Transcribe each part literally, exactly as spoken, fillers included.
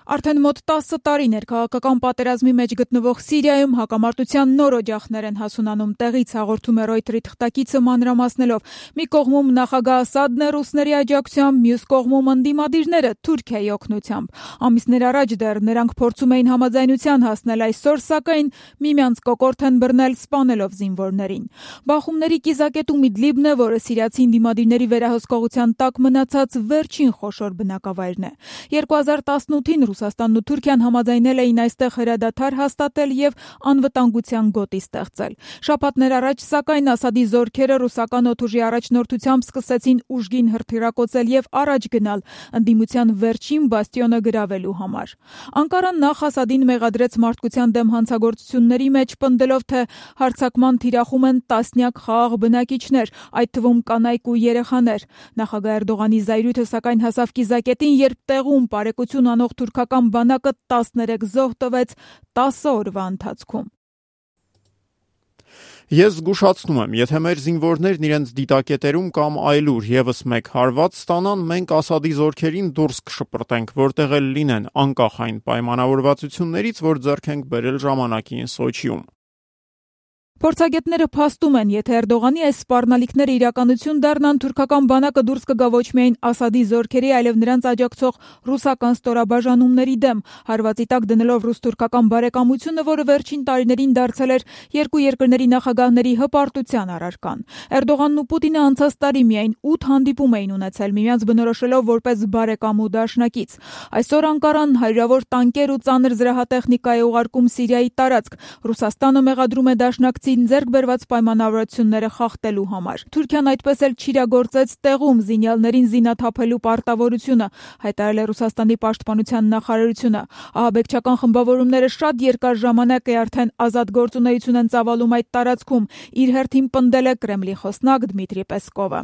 Արդեն մոտ տասը տարի ներքաղաքական պատերազմի մեջ գտնվող Սիրիայում հակամարտության նոր օջախներ են հասունանում տեղից, հաղորդում է Reuters-ի թղթակիցը մանրամասնելով։ Մի կողմում նախագահ Ասադն է ռուսների աջակցությամբ, մյուս կողմում ընդդիմադիրները Թուրքիայի օգնությամբ։ Ամիսներ առաջ դեռ նրանք փորձում էին համաձայնության հասնել, այսօր սակայն միմյանց կոկորդ են բռնել սպանելով զինվորներին։ Բախումների կիզակետում Իդլիբն է, որը սիրիացի ընդդիմադիրների վերահսկողության տակ մնացած վերջին խոշոր բնակավայրն է։ երկու հազար տասնութին Ռուսաստանն ու Թուրքիան համաձայնել էին այստեղ հրադադար հաստատել եւ անվտանգության գոտի ստեղծել։ Շաբաթներ առաջ, սակայն, Ասադի զորքերը ռուսական օդուժի առաջնորդությամբ սկսեցին ուժգին հրթիռակոծել եւ առաջ գնալ ընդդիմության վերջին բաստիոնը գրավելու համար։ Անկարան նախ Ասադին մեղադրեց մարդկության դեմ հանցագործությունների մեջ, պնդելով, թե հարձակման թիրախում են տասնյակ խաղաղ բնակիչներ, այդ թվում կանայք ու երեխաներ։ Նախագահ Էրդողանի զայրույթը սակայն հասավ կիզակետին, երբ տեղում բարեկություն անող թուրքական բանակը տասներեք զոհ տվեց տասը օրվա ընթացքում։ Ես զգուշացնում եմ, եթե մեր զինվորներն իրենց դիտակետերում կամ այլուր եւս մեկ հարված ստանան, մենք Ասադի զորքերին դուրս կշպրտենք, որտեղ էլ լինեն, անկախ այն պայմանավորվածություններից, որ ձեռք ենք բերել ժամանակին Սոչիում։ Փորձագետները փաստում են, եթե Էրդողանի այս սպառնալիքները իրականություն դառնան, թուրքական բանակը դուրս կգա ոչ միայն Ասադի զորքերի, այլև նրանց աջակցող ռուսական ստորաբաժանումների դեմ, հարվածի տակ դնելով ռուս-թուրքական բարեկամությունը, որը վերջին տարիներին դարձել էր երկու երկրների նախագահների հպարտության առարկան։ Էրդողանն ու Պուտինը անցած տարի միայն ութ հանդիպում էին ունեցել, միմյանց բնորոշելով որպես բարեկամ ու դաշնակից։ Այսօր Անկարան հարյուրավոր տանկեր ու ծանր զրահատեխնիկա է ուղարկում Սիրիայի տարածք։ Ռուսաստանը մեղադրում է դաշնակցին ձեռք բերված պայմանավորվածությունները խախտելու համար։ Թուրքիան այդպես էլ չիրագործեց տեղում զինյալներին զինաթափելու պարտավորությունը, հայտարարել է Ռուսաստանի պաշտպանության նախարարությունը։ Ահաբեկչական խմբավորումները շատ երկար ժամանակ է արդեն ազատ գործունեություն են ծավալում այդ տարածքում, իր հերթին պնդել է Կրեմլի խոսնակ Դմիտրի Պեսկովը։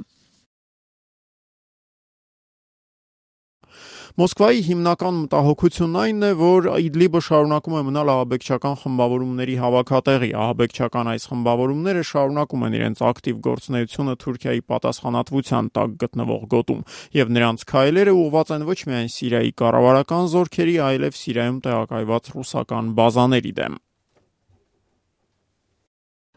Մոսկվայի հիմնական մտահոգությունն այն է, որ Իդլիբը շարունակում է մնալ ահաբեկչական խմբավորումների հավաքատեղի։ Ահաբեկչական այս խմբավորումները շարունակում են իրենց ակտիվ գործունեությունը Թուրքիայի պատասխանատվության տակ գտնվող գոտում, եւ նրանց քայլերը ուղղված են ոչ միայն Սիրիայի կառավարական զորքերի, այլև Սիրիայում տեղակայված ռուսական բազաների դեմ։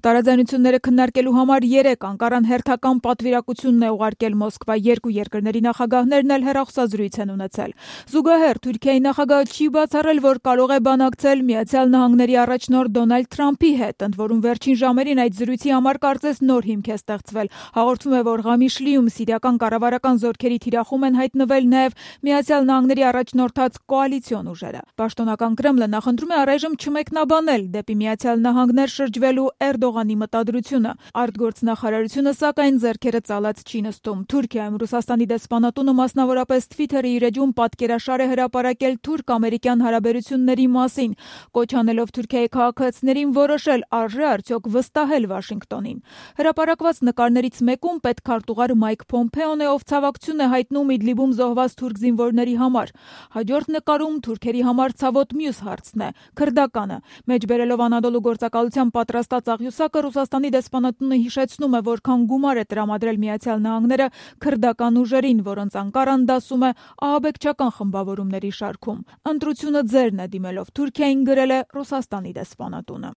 Տարաձայնությունները քննարկելու համար երեք Անկարան հերթական պատվիրակությունն է ուղարկել Մոսկվա, երկու երկրների նախագահներն էլ հեռախոսազրույց են ունեցել։ Զուգահեռ Թուրքիայի նախագահը չի բացառել, որ կարող է բանակցել Միացյալ Նահանգների առաջնորդ Դոնալդ Թրամփի հետ, ընդ որում վերջին ժամերին այդ զրույցի համար կարծես նոր հիմք է ստեղծվել։ Հաղորդվում է, որ Ղամիշլիում սիրիական կառավարական զորքերի թիրախում են հայտնվել նաև Միացյալ Նահանգների առաջնորդած կոալիցիոն ուժերը։ Պաշտոնական Կրեմլը նախընտրում է առայժմ չմեկնաբանել դեպի Միացյալ Նահանգներ շրջվելու Էրդողանի մտադրությունը։ Արտգործնախարարությունը սակայն ձեռքերը ծալած չի նստում։ Թուրքիայում Ռուսաստանի դեսպանատունը մասնավորապես Twitter-ի իր էջում պատկերաշար է հրապարակել թուրք-ամերիկյան հարաբերությունների մասին, կոչ անելով Թուրքիայի քաղաքացիներին որոշել արժե արդյոք վստահել Վաշինգտոնին։ Հրապարակված նկարներից մեկում պետքարտուղար Մայք Փոմփեոն է, ով ցավակցություն է հայտնում Իդլիբում զոհված թուրք զինվորների համար։ Հաջորդ նկարում Թուրքերի համար ցավոտ մյուս հարցն է՝ քրդականը։ Մեջբերելով Անադոլու գործակալության պատրաստած աղյուսակը, Ռուսաստանի դեսպանատունը հիշեցնում է, որքան գումար է տրամադրել Միացյալ Նահանգները քրդական ուժերին, որոնց Անկարան դասում է ահաբեկչական խմբավորումների շարքում։ Ընտրությունը ձերն է, դիմելով Թուրքիային, գրել է Ռուսաստանի դեսպանատունը։